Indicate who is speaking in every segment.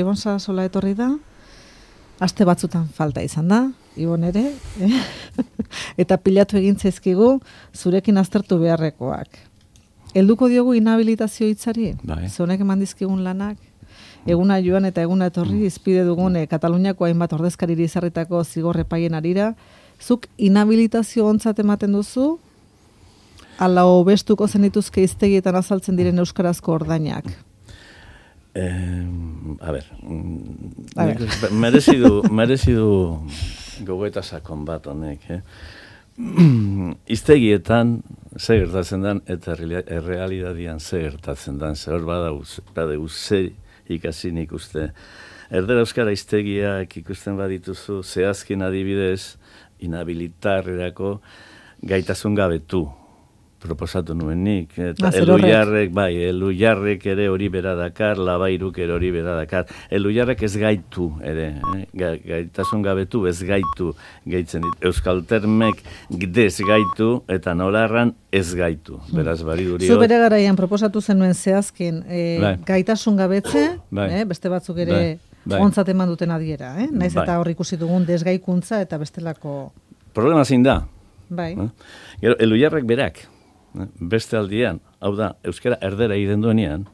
Speaker 1: Ibon Sarasola etorri da, aste batzutan falta izan da, Ibon ere, eta pilatu egin zaizkigu zurekin aztertu beharrekoak. Helduko diogu inhabilitazio hitzari, zonek eman dizkigun lanak, eguna joan eta eguna etorri, izpide dugun Kataluniako hainbat ordezkariri izarritako zigor epaien arira, zuk inhabilitazio ontzat ematen duzu, ala hobestuko zenituzke hiztegietan azaltzen diren euskarazko ordainak?
Speaker 2: Merezi du gogoeta sakon bat honek. Hiztegietan ze gertatzen den eta errealitatean ze gertatzen den. Zer badegu ze ikasi nik uste. Erdera euskara hiztegiak ikusten badituzu, zehazkin adibidez, inhabilitarrerako gaitasun gabetu proposatu nuen nik. Elujarrek ere hori bera dakar, Labairuk ere hori bera dakar. Elujarrek ez gaitu ere, gaitasun gabetu ez gaitu gaitzen dit. Euskaltermek dez gaitu eta nolarran ez gaitu. Beraz, bariduri.
Speaker 1: Zu bere garaian proposatu zenuen zehazkin gaitasun gabetze, beste batzuk ere ontzat eman duten adiera, naiz eta hor ikusi dugun desgaikuntza eta bestelako...
Speaker 2: Problema zein da.
Speaker 1: Gero,
Speaker 2: Elujarrek berak, beste aldian, hau da, euskara erdera egiten duenean,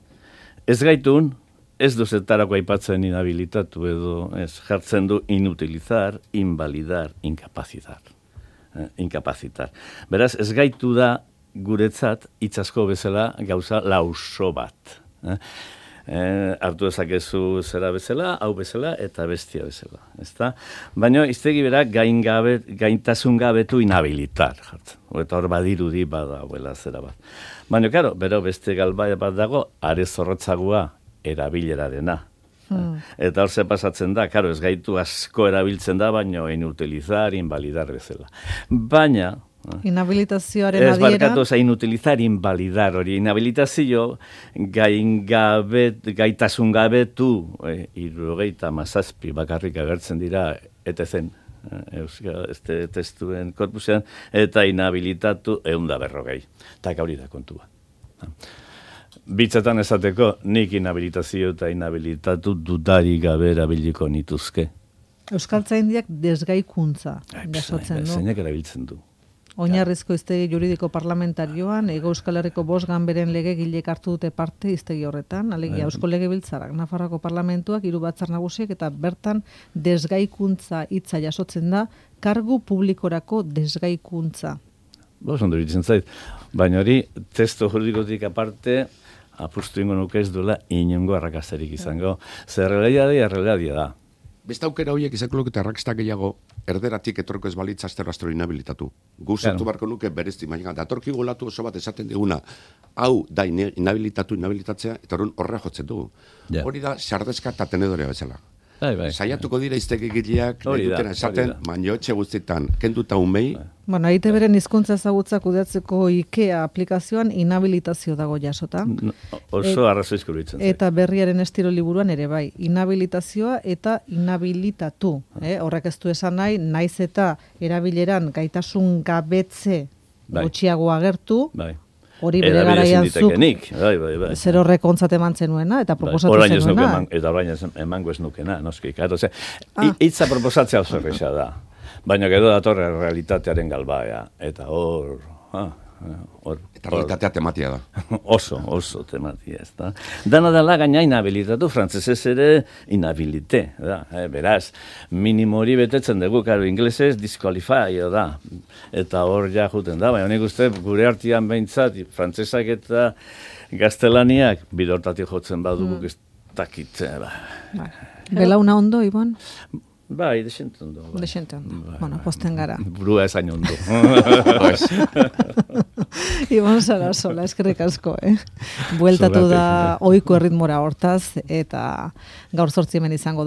Speaker 2: ez gaitun, ez duzetarako aipatzen inhabilitatu edo, ez jartzen du inutilizar, invalidar, incapacitar. Beraz, ez gaitu da guretzat hitzasko bezala gauza lauso bat. Hartu ezakezu zera bezala, hau bezala eta bestia bezala. Ezta? Baina hiztegi berak gaintasun gabetu inhabilitar jartzen. Eta hor badirudi badagoela zera bat. Baina, karo, bero beste galbai bat dago, are zorrotzagua erabilerarena. Eta hor ze pasatzen da, karo, ez gaitu asko erabiltzen da, baina inutilizar, invalidar bezala. Baina...
Speaker 1: Inhabilitazioaren adiera...
Speaker 2: Ez barkatu, inutilizar, invalidar hori. Inhabilitazio gaitasun gabetu, 77 bakarrik agertzen dira, etezen, este testuen korpusean, eta inhabilitatu 140. Eta hori da kontua. Bitzetan esateko, nik inhabilitazio eta inhabilitatu dudari gabe erabiliko nituzke.
Speaker 1: Euskaltzaindiak desgaikuntza jasotzen du.
Speaker 2: Zeinak erabiltzen du.
Speaker 1: Oinarrizko hiztegi juridiko parlamentarioan, Hego Euskal Herriko 5 ganberen legegilek hartu dute parte hiztegi horretan, alegia Eusko Legebiltzarrak, Nafarroako parlamentuak, 3 batzar nagusiek eta bertan desgaikuntza hitza jasotzen da, kargu publikorako desgaikuntza.
Speaker 2: Ondo iruditzen zait, baina hori testu juridikotik aparte apustu ingo nuke ez duela inongo arrakastarik izango. Zer errealitatea da.
Speaker 3: Beste aukera horiek izango luke arrakasta gehiago erderatik etorko ez balitza astero inhabilitatu. Guztu barko nuke berezti, baina datorki golatu oso bat esaten diguna, hau da inhabilitatzea, eta horrela jotzen dugu. Hori da sardezka eta tenedorea bezala. Saiatuko dira hiztegigileak dutena esaten, baina etxe guztietan kenduta umei.
Speaker 1: Bueno, EITBren hizkuntza ezagutza kudeatzeko IKEA aplikazioan inhabilitazio dago jasota.
Speaker 2: Oso arrazoizko iruditzen zait.
Speaker 1: Eta berriaren estilo liburuan ere bai, inhabilitazioa eta inhabilitatu. Horrek ez du esan nahi, naiz eta erabileran gaitasun gabetze gutxiago agertu. Hori bere garaian zuk, zer horrek ontzat eman zenuena, eta proposatu zenuena.
Speaker 2: Eta orain emango ez nukena, noski. Hitza proposatzea oso erresa da. Baina gero datorre realitatearen galbaea. Eta hor...
Speaker 3: Eta realitatea tematia da.
Speaker 2: Oso tematia, ez da. Dana dela gaina inhabilitatu, frantzesez ere inhabilite. Beraz, minimo hori betetzen dugu, karo, inglesez disqualify da. Eta hor ja juten da, baina nik uste gure artean behintzat, frantzesak eta gaztelaniak bidortatik jotzen badugu ez dakit.
Speaker 1: Belauna ondo, Ibon?
Speaker 2: Bai, desente ondo.
Speaker 1: Bueno, posten gara.
Speaker 2: Burua ezain ondo.
Speaker 1: Ibon Sarasola, eskerrik asko, Bueltatu da ohiko erritmora hortaz, eta gaur 8 hemen izango da.